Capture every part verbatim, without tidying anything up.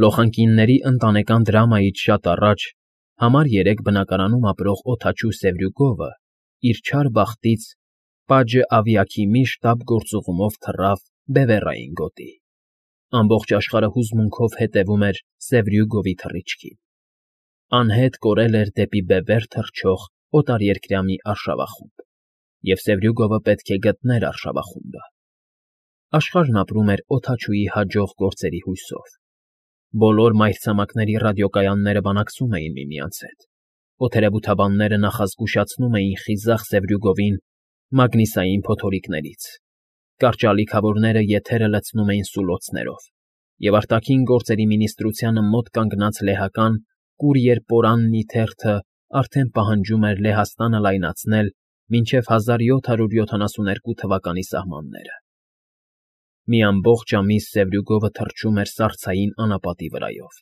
Լոխանկինների ընտանեկան դրամայից շատ առաջ համար երեք բնակարանում ապրող օդաչու Սևրյուգովը իր չար բախտից Պաջը Ավիաքի մի շտապ գործուղումով թռավ Բևեռային գոտի. ամբողջ աշխարհը հուզմունքով հետևում էր Սևրյուգովի թռիչքին. անհետ կորել էր դեպի բևեռ թռչող օտարերկրյա մի արշավախումբ, և Սևրյուգովը պետք է գտներ արշավախումբը. աշխարհն ապրում էր օդաչուի հաջող գործերի հույսով. բոլոր մայրցամաքների ռադիոկայանները բանակցում էին միմյանց հետ, օդերևութաբանները նախազգուշացնում էին խիզախ Սևրյուգովին մագնիսային փոթորիկներից, կարճալիքավորները եթերը լցնում էին սուլոցներով, և արտաքին գործերի մինիստրությանը մոտ կանգնած լեհական կուրիեր֊պորաննի թերթը արդեն պահանջում էր Լեհաստանը լայնացնել մինչև հազար յոթ հարյուր յոթանասունհինգ թվականի սահմանները. Մի ամբողջ ամիս Սևրյուգովը թռչում էր սառցային անապատի վրայով,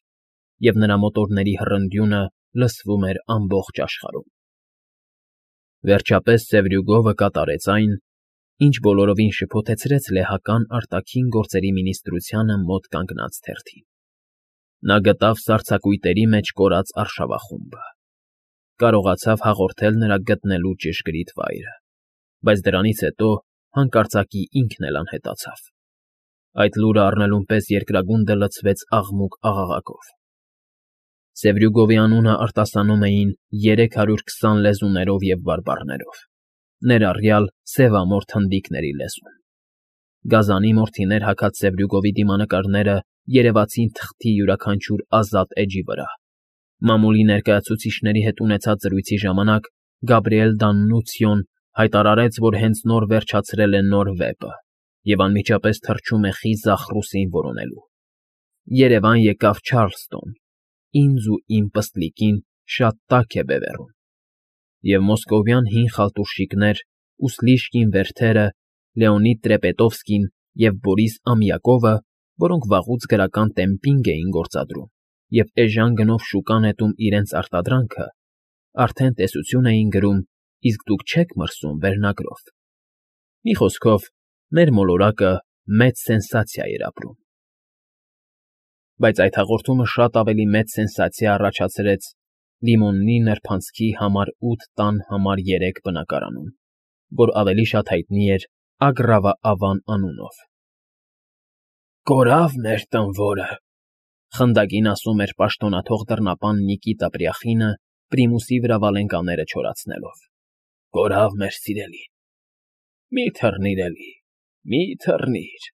և նրա մոտորների հռնդյունը լսվում էր ամբողջ աշխարհում։ Վերջապես Սևրյուգովը կատարեց այն, ինչ բոլորովին շփոթեցրեց լեհական արտաքին գործերի մինիստրությանը մոտ կանգնած թերթին. նա գտավ սառցակույտերի մեջ կորած արշավախումբը, կարողացավ հաղորդել նրա գտնելու ճշգրիտ վայրը, բայց դրանից հետո հանկարծակի ինքն էլ անհետացավ. այդ լուրը առնելուն պես երկրագունդը լցվեց աղմուկ֊աղաղակով։ Սևրյուգովի անունը արտասանում էին երեք հարյուր քսան լեզուներով և բարբառներով, ներառյալ սևամորթ հնդիկների լեզուն։ Գազանի մորթիներ հագած Սևրյուգովի դիմանկարները երևացին թղթի յուրաքանչյուր ազատ էջի վրա։ Մամուլի ներկայացուցիչների հետ ունեցած զրույցի ժամանակ Գաբրիել Դաննուցիոն հայտարարեց, որ հենց նոր վերջացրել է նոր վեպը և անմիջապես թռչում է խիզախ ռուսին որոնելու։ Երևան եկավ Չարլստոն, ինձ ու իմ պստլիկին շատ տաք է բևեռում, և մոսկովյան հին խալտուշիկներ ու Սլիշկին Վերթերը, Լեոնիդ Տրեպետովսկին և Բորիս Ամյակովը, որոնք վաղուց գրական տեմպինգ էին գործադրում և էժան գնով շուկա նետում իրենց արտադրանքը, արդեն տեսություն էին գրում «Իսկ դուք չե՞ք մրսում» վերնագրով։ Մի խոսքով, մեր մոլորակը մեծ սենսացիա էր ապրում։ Բայց այդ հաղորդումը շատ ավելի մեծ սենսացիա առաջացրեց Լիմոննի նրբանցքի համար ութ տան համար երեք բնակարանում, որ ավելի շատ հայտնի էր Ագրավա֊ավան անունով։ «Կորավ մեր տանվորը», խնդակին ասում էր պաշտոնաթող դռնապան Նիկիտա Պրյախինը, պրիմուսի վրա վալենկաները չորացնելով։ «Կորավ մեր սիրելին։ Մի թռնիր էլի, մի թռնիր,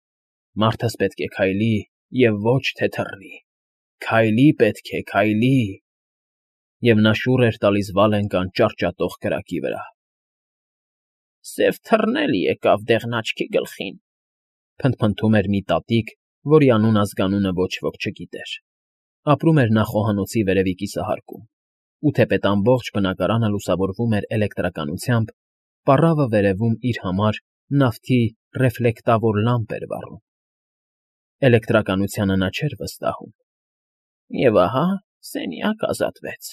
մարդս պետք է քայլի և ոչ թե թռնի, քայլի պետք է, քայլի», և նա շուռ էր տալիս վալենկան ճարճատող կրակի վրա։ «Սև թռն էլ եկավ դեղնաչքի գլխին», փնթփնթում էր մի տատիկ, որի անուն֊ազգանունը ոչ ոք չգիտեր։ Ապրում էր նա խոհանոցի վերևի կիսահարկում, ու թեպետ ամբողջ բնակարանը լուսավորվում էր էլեկտրականությամբ, պառավը վերևում իր համար նավթի ռեֆլեկտավոր լամպ էր վառում։ Էլեկտրականությանը նա չէր վստահում։ Եվ ահա սենյակ ազատվեց,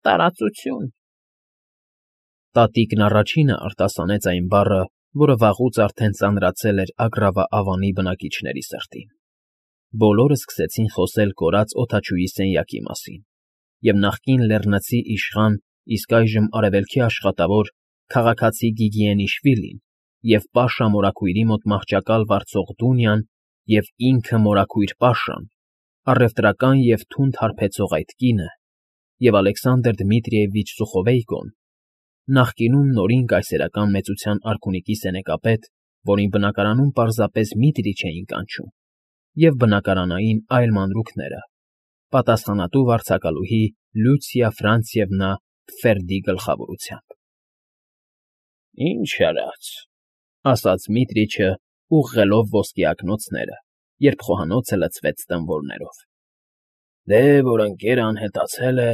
տարածություն։ Տատիկն առաջինը արտասանեց այն բառը, որը վաղուց արդեն ծանրացել էր Ագրավա֊ավանի բնակիչների սրտին։ Բոլորը սկսեցին խոսել կորած օդաչուի սենյակի մասին, և նախկին լեռնցի իշխան, իսկ այժմ արևելքի աշխատավոր քաղաքացի Գիգիենիշվիլին և Պաշա մորաքույրի մոտ մահճակալ վարձող Դունյան և ինքը մորաքույր Պաշան, առևտրական և թունդ հարբեցող այդ կինը և Ալեքսանդր Դմիտրիևիչ Սուխովեյկոն, նախկինում նորին կայսերական մեծության արքունիքի սենեկապետ, որին բնակարանում պարզապես Միտրիչ էին կանչում, և բնակարանային այլ մանրուքները, պատասխանատու վարձակալուհի Լյուցիա Ֆրանցիևնա Տֆերդի գլխավորությամբ։ «Ինչ արած», ասաց Միտրիչը, ուղղելով ոսկե ակնոցները, երբ խոհանոցը լցվեց տմբորներով։ «Դե, որ ընկերը անհետացել է,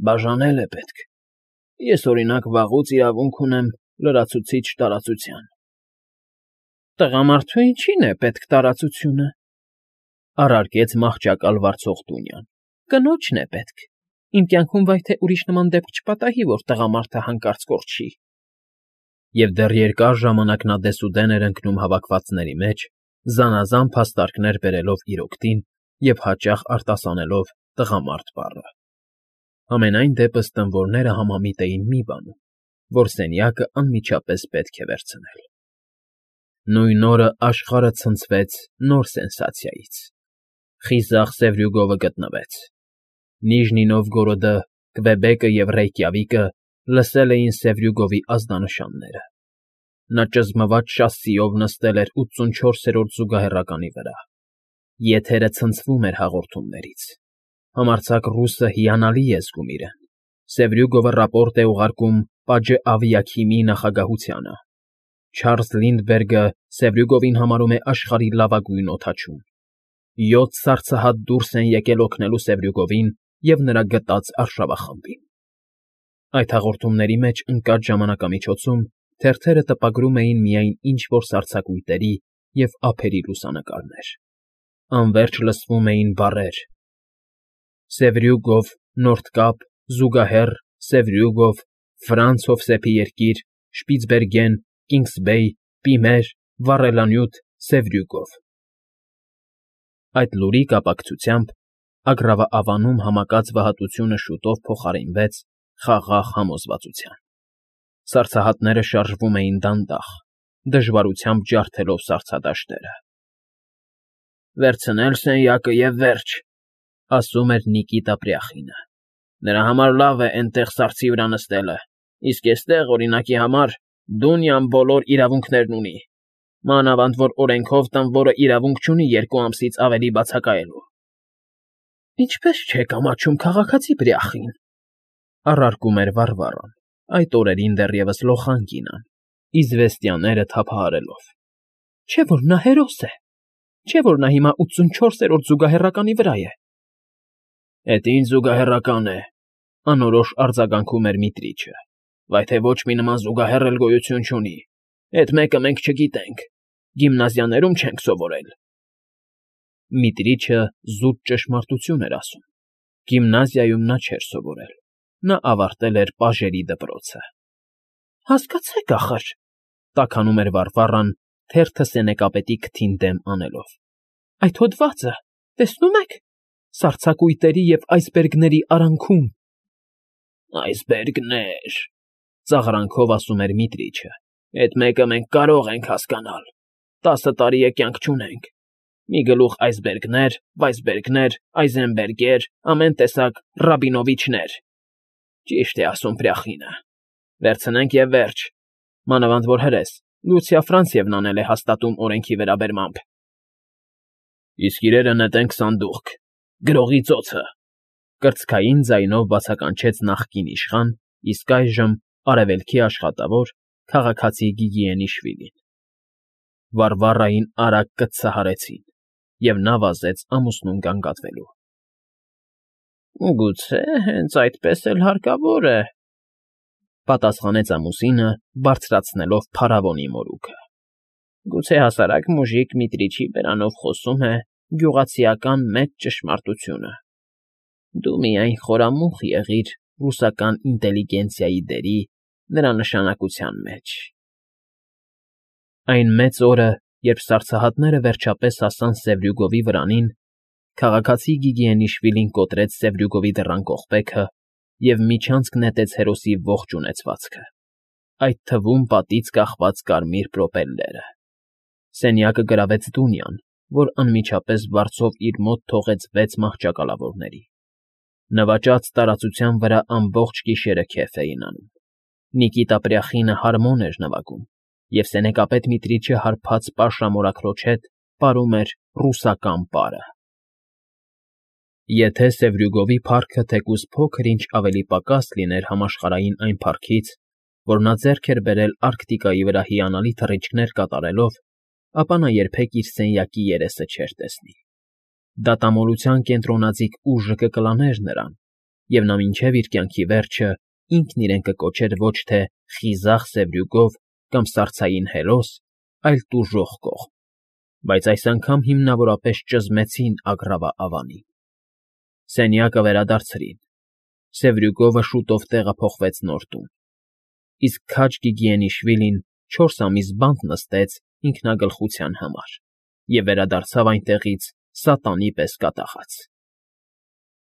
բաժանել է պետք։ Ես, օրինակ, վաղուց իրավունք ունեմ լրացուցիչ տարածության»։ «Տղամարդու ինչի՞ն է պետք տարածությունը», առարկեց մահճակալ վարձող Դունյան։ «Կնոջն է պետք։ Իմ կյանքում վայ թե ուրիշ նման դեպք չպատահի, որ տղամարդը հանկարծ կորչի»։ Եվ դեռ երկար ժամանակ նա դեսուդեն էր ընկնում հավաքվածների մեջ, զանազան փաստարկներ բերելով իր օգտին և հաճախ արտասանելով «տղամարդ» բառը։ Համենայն դեպս տմբորները համամիտ էին մի բանում, որ սենյակը անմիջապես պետք է վերցնել։ Նույն օրը աշխարհը ցնցվեց նոր սենսացիայից. խիզախ Սևրյուգովը գտնվեց։ Նիժնի Նովգորոդը, Կվեբեկը և Ռեյկյավիկը լսել էին Սևրյուգովի ազդանշանները։ Նա ճզմված շասիով նստել էր ութսունչորսերորդ զուգահեռականի վրա։ Եթերը ցնցվում էր հաղորդումներից։ Համարձակ ռուսը հիանալի է զգում իրեն։ Սևրյուգովը ռապորտ է ուղարկում Պաջե Ավիաքիմի նախագահությանը։ Չարլզ Լինդբերգը Սևրյուգովին համարում է աշխարհի լավագույն օդաչուն։ Յոթ սառցահատ դուրս են եկել օգնելու Սևրյուգովին և նրա գտած արշավախմբին։ Այդ հաղորդումների մեջ ընկած ժամանակամիջոցում թերթերը տպագրում էին միայն ինչ֊որ սառցակույտերի և ափերի լուսանկարներ։ Անվերջ լսվում էին բառեր. Սևրյուգով, Նորդկապ, Զուգահեռ, Սևրյուգով, Ֆրանց Հովսեփի երկիր, Շպիցբերգեն, Կինգսբեյ, Պիմեր, Վառելանյութ, Սևրյուգով։ Այդ լուրի կապակցությամբ Ագռավաավանում համակած վհատությունը շուտով փոխարինվեց խաղաղ համոզվածության։ Սառցահատները շարժվում էին դանդաղ, դժվարությամբ ջարդելով սառցադաշտերը։ «Վերցնել սենյակը և վերջ», ֊ ասում էր Նիկիտա Պրյախինը։ «Նրա համար լավ է էնտեղ սառցի վրա նստելը, իսկ էստեղ, օրինակի համար, Դունյան բոլոր իրավունքներն ունի, մանավանդ որ օրենքով տանվորը իրավունք չունի երկու ամսից ավելի բացակայելու»։ «Ինչպե՞ս չեք ամաչում, քաղաքացի Պրյախին», ֊ առարկում էր Վարվառան, այդ օրերին դեռևս լոխան կինան, իզվեստյաները թափահարելով։ «Չէ՞ որ նա հերոս է, չէ՞ որ նա հիմա ութսունչորսերորդ զուգահեռականի վրա է»։ «Էդ ինչ զուգահեռական է,֊ անորոշ արձագանքում էր Միտրիչը,֊ վայ թե ոչ մի նման զուգահեռ էլ գոյություն չունի, էդ մեկը մենք չգիտենք, գիմնազիաներում չենք սովորել»։ Միտրիչը զուտ ճշմարտություն էր ասում։ Գիմնազիայում նա չէր սովորել, նա ավարտել էր պաժերի դպրոցը։ «Հասկացեք ախր,֊ տաքանում էր Վարվառան, թերթը սենեկապետի քթին դեմ անելով,֊ այդ հոդվածը, տեսնո՞ւմ եք, սառցակույտերի և այսբերգների արանքում»։ «Այսբերգներ,֊ ծաղրանքով ասում էր Միտրիչը,֊ էդ մեկը մենք կարող ենք հասկանալ, տասը տարի է կյանք չունենք, մի գլուխ այսբերգներ, վայսբերգներ, այզենբերգեր, ամեն տեսակ Ռաբինովիչներ։ Ճիշտ է ասում Պրյախինը, վերցնենք և վերջ, մանավանդ որ հրես, Լուցիա Ֆրանցիևնան էլ է հաստատում օրենքի վերաբերմամբ»։ «Իսկ իրերը նետենք սանդուղք, գրողի ծոցը,֊ կրծքային ձայնով բացականչեց նախկին իշխան, իսկ այժմ արևելքի աշխատավոր, քաղաքացի Գիգիենիշվիլին։ Վարվառային արագ կծցահարեցին, և նա վազեց ամուսնուն գանգատվելու։ «Գուցե հենց այդպես էլ հարկավոր է,֊ պատասխանեց ամուսինը, բարձրացնելով փարավոնի մորուքը։ «Գուցե հասարակ մուժիկ Միտրիչի բերանով խոսում է գյուղացիական մեծ ճշմարտությունը։ Դու միայն խորամուխ եղիր ռուսական ինտելիգենցիայի դերի, նրա նշանակության մեջ»։ Այն մեծ օրը, երբ սառցահատները վերջապես հասան Սևրյուգովի վրանին, քաղաքացի Գիգիենիշվիլին կոտրեց Սևրյուգովի դռան կողպեքը և միջանցք նետեց հերոսի ողջ ունեցվածքը, այդ թվում պատից կախված կարմիր պրոպելլերը։ Սենյակը գրավեց Դունյան, որ անմիջապես վարձով իր մոտ թողեց վեց մահճակալավորների։ Նվաճած տարածության վրա ամբողջ գիշերը քեֆ էին անում։ Նիկիտա Պրյախինը հարմոն էր նվագում, և սենեկապետ Միտրիչը հարբած պաշարամորաքրոջ հետ պարում էր ռուսական պարը։ Եթե Սևրյուգովի փառքը թեկուզ փոքր֊ինչ ավելի պակաս լիներ համաշխարհային այն փառքից, որ նա ձեռք էր բերել Արկտիկայի վրա հիանալի թռիչքներ կատարելով, ապա նա երբեք իր սենյակի երեսը չէր տեսնի։ Դատամոլության կենտրոնաձիգ ուժը կկլաներ նրան, և նա մինչև իր կյանքի վերջը ինքն իրեն կկոչեր ոչ թե խիզախ Սևրյուգով կամ սառցային հերոս, այլ տուժող կողմ, բայց այս անգամ հիմնավորապես ճզմեցին Ագռավա-ավանին։ Սենյակը վերադարձրին։ Սևրյուգովը շուտով տեղափոխվեց նոր տուն, իսկ քաջ Գիգիենիշվիլին չորս ամիս բանտ նստեց ինքնագլխության համար և վերադարձավ այնտեղից սատանի պես կատաղած։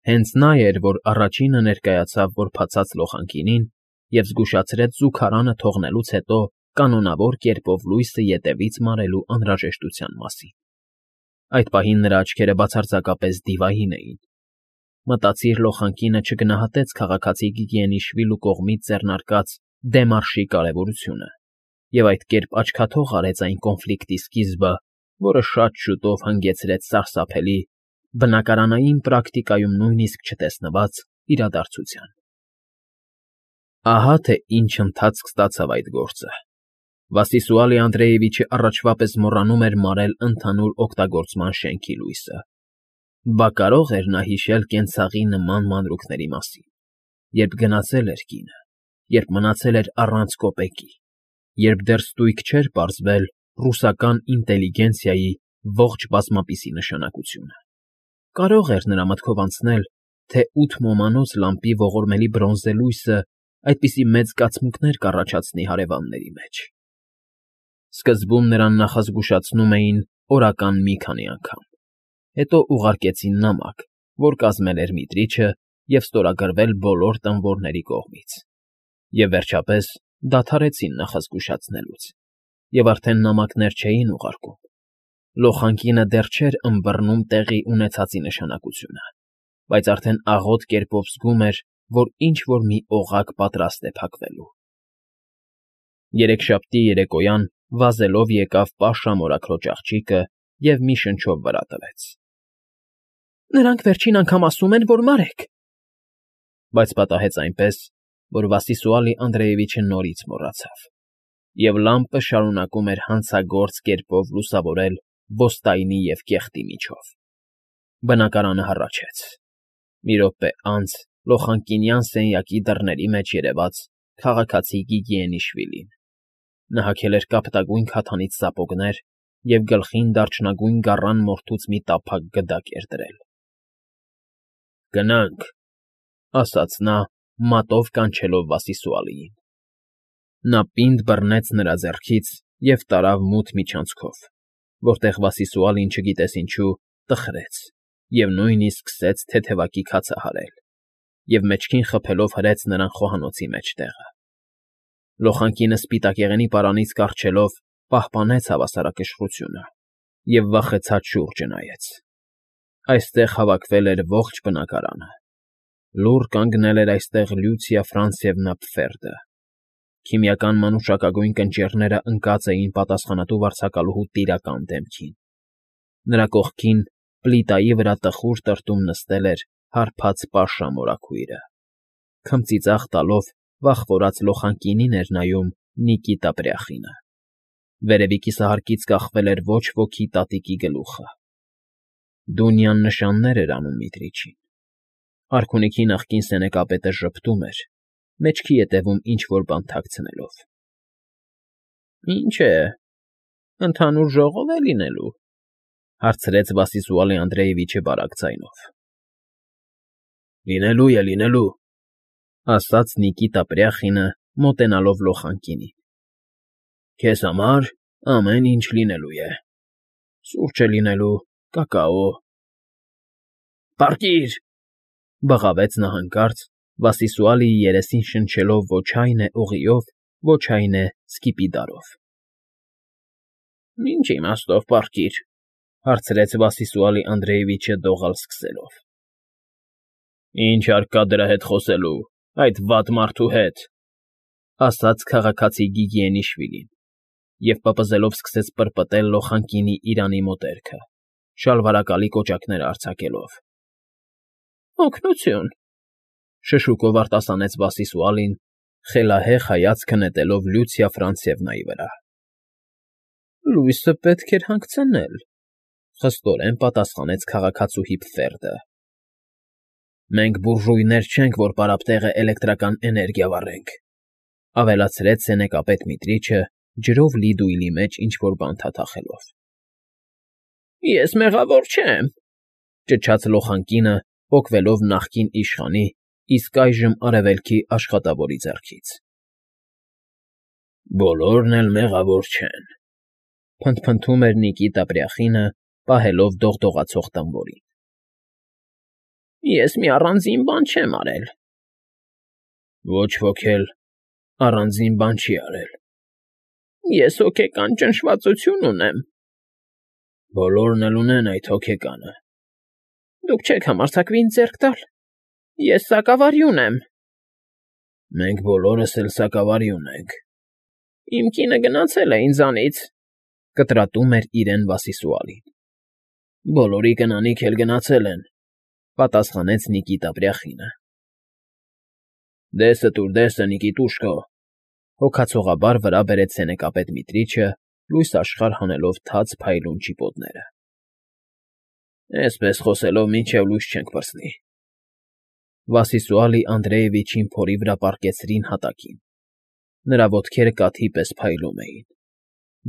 Հենց նա էր, որ առաջինը ներկայացավ որբացած լոխանկինին և զգուշացրեց զուգարանը թողնելուց հետո կանոնավոր կերպով լույսը ետևից մարելու անհրաժեշտության մասին։ Այդ պահին նրա աչքերը բացարձակապես դիվային էին։ Մտածիր լոխանկինը չգնահատեց քաղաքացի Գիգիենիշվիլու կողմից ձեռնարկած դեմարշի կարևորությունը և այդ կերպ աչքաթող արեց այն կոնֆլիկտի սկիզբը, որը շատ շուտով հանգեցրեց սարսափելի, բնակարանային պրակտիկայում նույնիսկ չտեսնված իրադարձության։ Ահա թե ինչ ընթացք ստացավ այդ գործը։ Վասիլիսուալի Անդրեևիչը առաջվա պես մոռանում էր մարել ընդհանուր օգտագործման շենքի լույսը։ Բա կարո՞ղ էր նա հիշել կենցաղի նման մանրուքների մասին, երբ գնացել էր կինը, երբ մնացել էր առանց կոպեկի, երբ դեռ ստույգ չէր պարզվել ռուսական ինտելիգենցիայի ողջ բազմապիսի նշանակությունը։ Կարո՞ղ էր նրա մտքով անցնել, թե ութ մոմանոց լամպի ողորմելի բրոնզե լույսը այդպիսի մեծ զգացմունքներ կառաջացնի հարևանների մեջ։ Սկզբում նրան նախազգուշացնում էին օրական մի քանի անգամ, հետո ուղարկեցին նամակ, որ կազմել էր Միտրիչը և ստորագրվել բոլոր տանվորների կողմից, և վերջապես դադարեցին նախազգուշացնելուց, և արդեն նամակներ չէին ուղարկում։ Լոխանկինը դեռ չէր ըմբռնում տեղի ունեցածի նշանակությունը, բայց արդեն աղոտ կերպով զգում էր, որ ինչ֊որ մի օղակ պատրաստ է փակվելու։ Երեքշաբթի երեկոյան վազելով եկավ Պաշա մորաքրոջ աղջիկը և մի շնչով վրա տվեց։ ֊ Նրանք վերջին անգամ ասում են, որ մարեք… Բայց պատահեց այնպես, որ Վասիլիսուալի Անդրեևիչը նորից մոռացավ, և լամպը շարունակում էր հանցագործ կերպով լուսավորել ոստայնի և կեղտի միջով։ Բնակարանը հառաչեց։ Մի րոպե անց լոխանկինյան սենյակի դռների մեջ երևաց քաղաքացի Գիգիենիշվիլին։ Նա հագել էր կապտագույն քաթանից սապոգներ և գլխին դարչնագույն գառան մորթուց մի տափակ գդակ էր դրել։ ֊ Գնա՛նք,֊ ասաց նա, մատով կանչելով Վասիլիսուալիին։ Նա պինդ բռնեց նրա ձեռքից և տարավ մութ միջանցքով, որտեղ Վասիլիսուալին, չգիտես ինչու, տխրեց և նույնիսկ սկսեց թեթևակի քացը հարել և մեջքին խփելով հրեց նրան խոհանոցի մեջտեղը։ Լոխանկինը սպիտակեղենի պարանից կառչելով պահպանեց հավասարակշռությունը և վախեցած շուրջը նայեց։ Այստեղ հավաքվել էր ողջ բնակարանը։ Լուռ կանգնել էր այստեղ Լյուցիա Ֆրանցևնա Պֆերդը։ Քիմիական մանուշակագույն կնճիռները ընկած էին պատասխանատու վարձակալուհու տիրական դեմքին։ Նրա կողքին, պլիտայի վրա տխուր տրտում նստել էր հարբած Պաշա մորաքույրը։ Քմծիծաղ տալով վախվորած լոխանկինին էր նայում Նիկիտա Պրյախինը։ Վերևի կիսահարկից կախվել էր ոչ ոքի տատիկի գլուխը։ Դունյան նշաններ էր անում Միտրիչին։ Արքունիքի նախկին սենեկապետը ժպտում էր, մեջքի ետևում ինչ֊որ բան թաքցնելով։ ֊ Ինչ է, ընդհանուր ժողո՞վ է լինելու,֊ հարցրեց Վասիլիսուալի Անդրեևիչը բարակ ձայնով։ ֊ Լինելու է, լինելու,֊ ասաց Նիկիտա Պրյախինը, մոտենալով լոխանկինին։ ֊ Քեզ համար ամեն ինչ լինելու է. սուրճ է լինելու, կակաո… ֊ Պառկի՛ր,֊ բղավեց նա հանկարծ, Վասիլիսուալիի երեսին շնչելով ոչ այն է օղիով, ոչ այն է սկիպիդարով։ ֊ Ինչ իմաստով պառկիր,֊ հարցրեց Վասիլիսուալի Անդրեևիչը դողալ սկսելով։ ֊ Ինչ հարկ կա դրա հետ խոսելու, այդ վատ մարդու հետ,֊ ասաց քաղաքացի Գիգիենիշվիլին և պպզելով սկսեց պրպտել լոխանկինի իրանի մոտերքը, շալվարակալի կոճակները արձակելով։ ֊ Օգնությո՜ւն,֊ շշուկով արտասանեց Վասիլիսուալին, խելահեղ հայացքը նետելով Լյուցիա Ֆրանցևնայի վրա։ ֊ Լույսը պետք էր հանգցնել,֊ խստորեն պատասխանեց քաղաքացուհի Պֆերդը։ ֊ Մենք բուրժուйներ չենք, որ պարապտեղը էլեկտրական էներգիա վառենք,֊ ավելացրեց սենեկապետ Միտրիչը, ջրով լի դույլի մեջ ինչ֊որ բան թաթախելով։ ֊ Ես մեղավոր չեմ,֊ ճչաց լոխանկինը, պոկվելով նախկին իշխանի, իսկ այժմ արևելքի աշխատավորի ձեռքից։ ֊ Բոլորն էլ մեղավոր չեն,֊ փնթփնթում էր Նիկիտա Պրյախինը, պահելով դողդողացող տանվորին։ Ես մի առանձին բան չեմ արել։ Ոչ ոք էլ առանձին բան չի արել։ Ես հոգեկան ճնշվածություն ունեմ։ Բոլորն էլ ունեն այդ հոգեկանը։ Դուք չեք համարձակվի ինձ ձեռք տալ։ Ես սակավարյուն եմ։ Մենք բոլորս էլ սակավարյուն ենք։ Իմ կինը գնացել է ինձանից, կտրատում էր իրեն Վասիսուալին։ Բոլորի կնանիք էլ գնացել են, պատասխանեց Նիկիտա Դեսը տուր, դեսը, Նիկիտուշկո, հոգացողաբար վրա բերեց սենեկապետ Միտրիչը, լույս աշխարհ հանելով թաց փայլուն ճիպոտները։ Այսպես խոսելով մինչև լույս չենք պրծնի։ Վասիսուալի Անդրեևիչին փորի վրա պառկեցրին հատակին։ Նրա ոտքերը կաթի պես փայլում էին։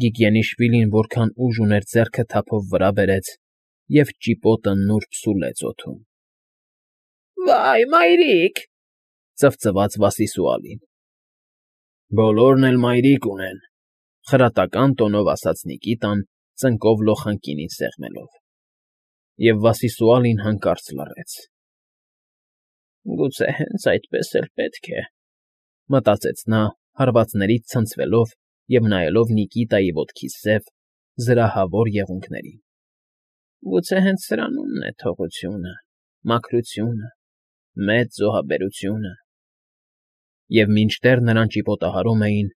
Գիգենիշվիլին որքան ուժ ուներ ձեռքը թափով վրա բերեց և ճիպոտը նուրբ սուլեց օդում։ Վայ, մայրիկ, ծվծվաց Վասիսուալին։ Բոլորն էլ մայրիկ ունեն, խրատական տոնով ասաց Նիկիտան, ծնկով լոխանկինին սեղմելով։ Եվ Վասիսուալին հանկարծ լռեց։ Գուցե հենց այդպես էլ պետք է, մտածեց նա, հարվածներից ցնցվելով և նայելով Նիկիտայի ոտքի սև, զրահավոր եղունգներին։ Գուցե հենց սրանումն է թողությունը, մաքրությունը, մեծ զոհաբերությունը։ Եվ մինչդեռ նրան ճիպոտահարում էին,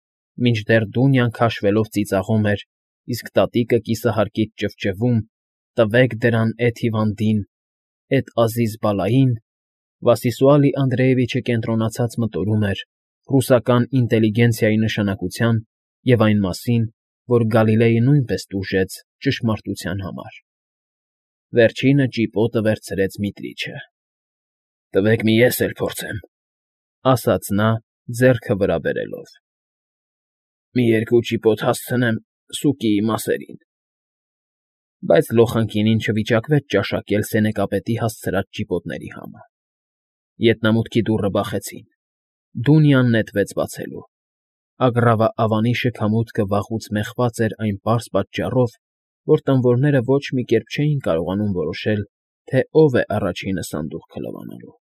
մինչդեռ Դունյան քաշվելով ծիծաղում էր, իսկ տատիկը կիսահարկից ճվճվում. «Տվեք դրան էդ հիվանդին, էդ Ազիզ Բալային», Վասիսուալի Անդրեևիչը կենտրոնացած մտորում էր ռուսական ինտելիգենցիայի նշանակության և այն մասին, որ Գալիլեյը նույնպես տուժեց ճշմարտության համար։ Վերջինը ճիպոտը վերցրեց Միտրիչը։ Տվեք մի ես էլ փորձեմ, ասաց նա, ձեռքը վրա բերելով։ Մի երկու ճիպոտ հասցնեմ սուկիի մասերին։ Բայց լոխանկինին չվիճակվեց ճաշակել սենեկապետի հասցրած ճիպոտների համը։ Ետնամուտքի դուռը բախեցին։ Դունյան նետվեց բացելու։ Ագռավը Ավանի շքամուտքը վաղուց մեխված էր այն պարզ պատճառով, որ տանվորները ոչ մի կերպ չէին կարողանում որոշել, թե ով է առաջինը սանդուղքը լվանալու։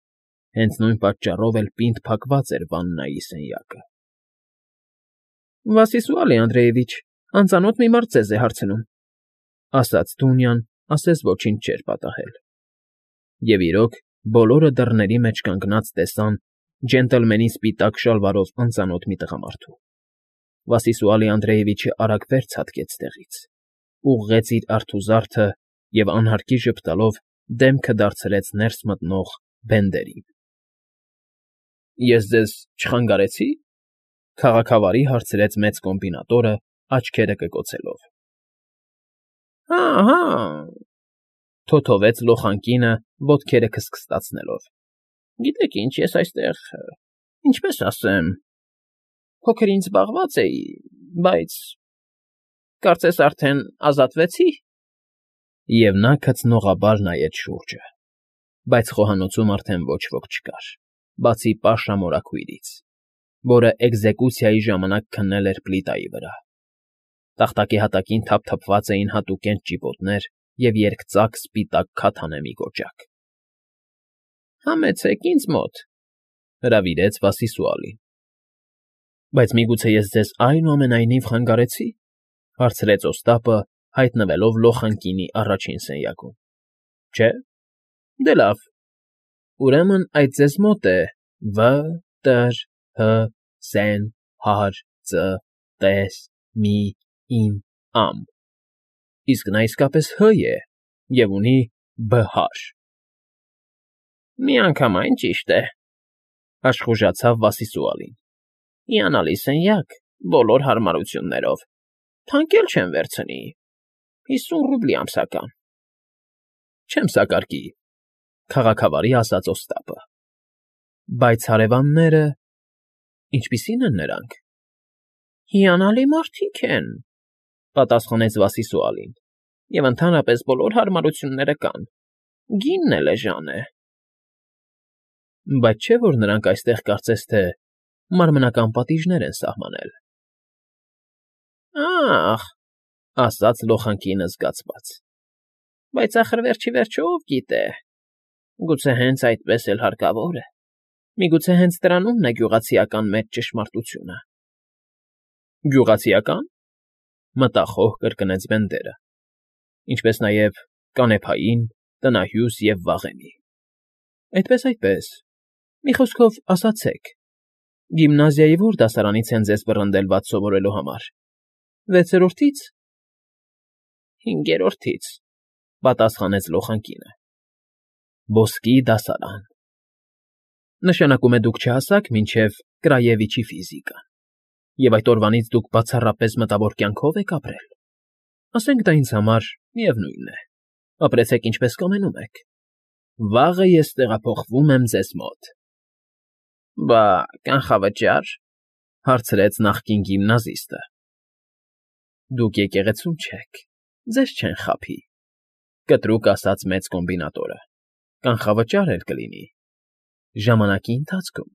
Հենց նույն պատճառով էլ պինդ փակված էր վաննայի սենյակը։ Վասիսուալի Անդրեևիչ, անծանոթ մի մարդ ձեզ է հարցնում, ասաց Դունյան, ասես ոչինչ չէր պատահել։ Եվ իրոք, բոլորը դռների մեջ կանգնած տեսան ջենտլմենի սպիտակ շալվարով անծանոթ մի տղամարդու։ Վասիսուալի Անդրեևիչը արագ վեր ցատկեց տեղից, ուղղեց իր արթուզարդը և անհարկի ժպտալով դեմքը դարձրեց ներս մտնող Բենդերին։ Ես ձեզ չխանգարեցի՞, քաղաքավարի հարցրեց մեծ կոմբինատորը, աչքերը կկոցելով։ Հա, հա, թոթովեց լոխանկինը, ոտքերը քստքստացնելով։ Գիտեք ինչ, ես այստեղ, ինչպես ասեմ, փոքր ինձ զբաղված էի, բայց… Կարծես արդեն ազատվեցի։ Եվ նա քծնողաբար նայեց շուրջը, բայց խոհանոցում արդեն ոչ ոք չկար, բացի Պաշա մորաքույրից, որը էկզեկուցիայի ժամանակ քննել էր պլիտայի վրա։ Տախտակի հատակին թափթփված էին հատուկենտ ճիպոտներ և երկծակ սպիտակ քաթանեմի կոճակ։ Համեցեք ինձ մոտ, հրավիրեց Վասիսուալին։ Բայց միգուցե ես ձեզ այնուամենայնիվ խանգարեցի, հարցրեց Օստապը, հայտնվելով լոխանկինի առաջին սենյակում։ Չէ՞, դե լավ, ուրեմն այդ ձեզ մոտ է Վ Տ Հ Սեն Հարց Տես Մի Ին Ամ, իսկ նա իսկապես Հ է և ունի Բ Հարր։ Միանգամայն ճիշտ է, աշխուժացավ Վասիսուալին։ Հիանալի սենյակ, բոլոր հարմարություններով, թանկ էլ չեմ վերցնի, հիսուն ռուբլի ամսական։ Չեմ սակարկի, քաղաքավարի ասաց Օստապը։ Բայց հարևանները… Ինչպիսի՞ն են նրանք։ Հիանալի մարդիկ են, պատասխանեց Վասիսուալին, և ընդհանրապես բոլոր հարմարությունները կան, գինն էլ էժան է։ Բայց չէ՞ որ նրանք այստեղ կարծես թե մարմնական պատիժներ են սահմանել։ Ա՜խ, ասաց լոխանկինը զգացված։ Բայց ախր վերջ ի վերջո ով գիտե, գուցե հենց այդպես էլ հարկավոր է, միգուցե հենց դրանումն է գյուղացիական մեծ ճշմարտությունը։ ֊ Գյուղացիական,֊ մտախոհ կրկնեց Բենդերը,֊ ինչպես նաև կանեփային, տնահյուս և վաղեմի։ ֊ Այդպես, այդպես, մի խոսքով, ասացեք, գիմնազիայի ո՞ր դասարանից են ձեզ վռնդել վատ սովորելու համար, վեցերորդի՞ց։ ֊ Հինգերորդից,֊ պատասխանեց լոխանկինը։ ֊ Ոսկի դասարան… Նշանակում է դուք չհասաք մինչև Կրաևիչի ֆիզիկան, և այդ օրվանից դուք բացառապես մտավոր կյանքո՞վ եք ապրել։ Ասենք դա ինձ համար միևնույն է, ապրեցեք ինչպես կամենում եք, վաղը ես տեղափոխվում եմ ձեզ մոտ։ ֊ Բա կանխավճա՞ր,֊ հարցրեց նախկին գիմնազիստը։ ֊ Դուք եկեղեցում չեք, ձեզ չեն խաբի,֊ կտրուկ ասաց մեծ կոմբինատորը,֊ կանխավճար էլ կլինի… ժամանակի ընթացքում։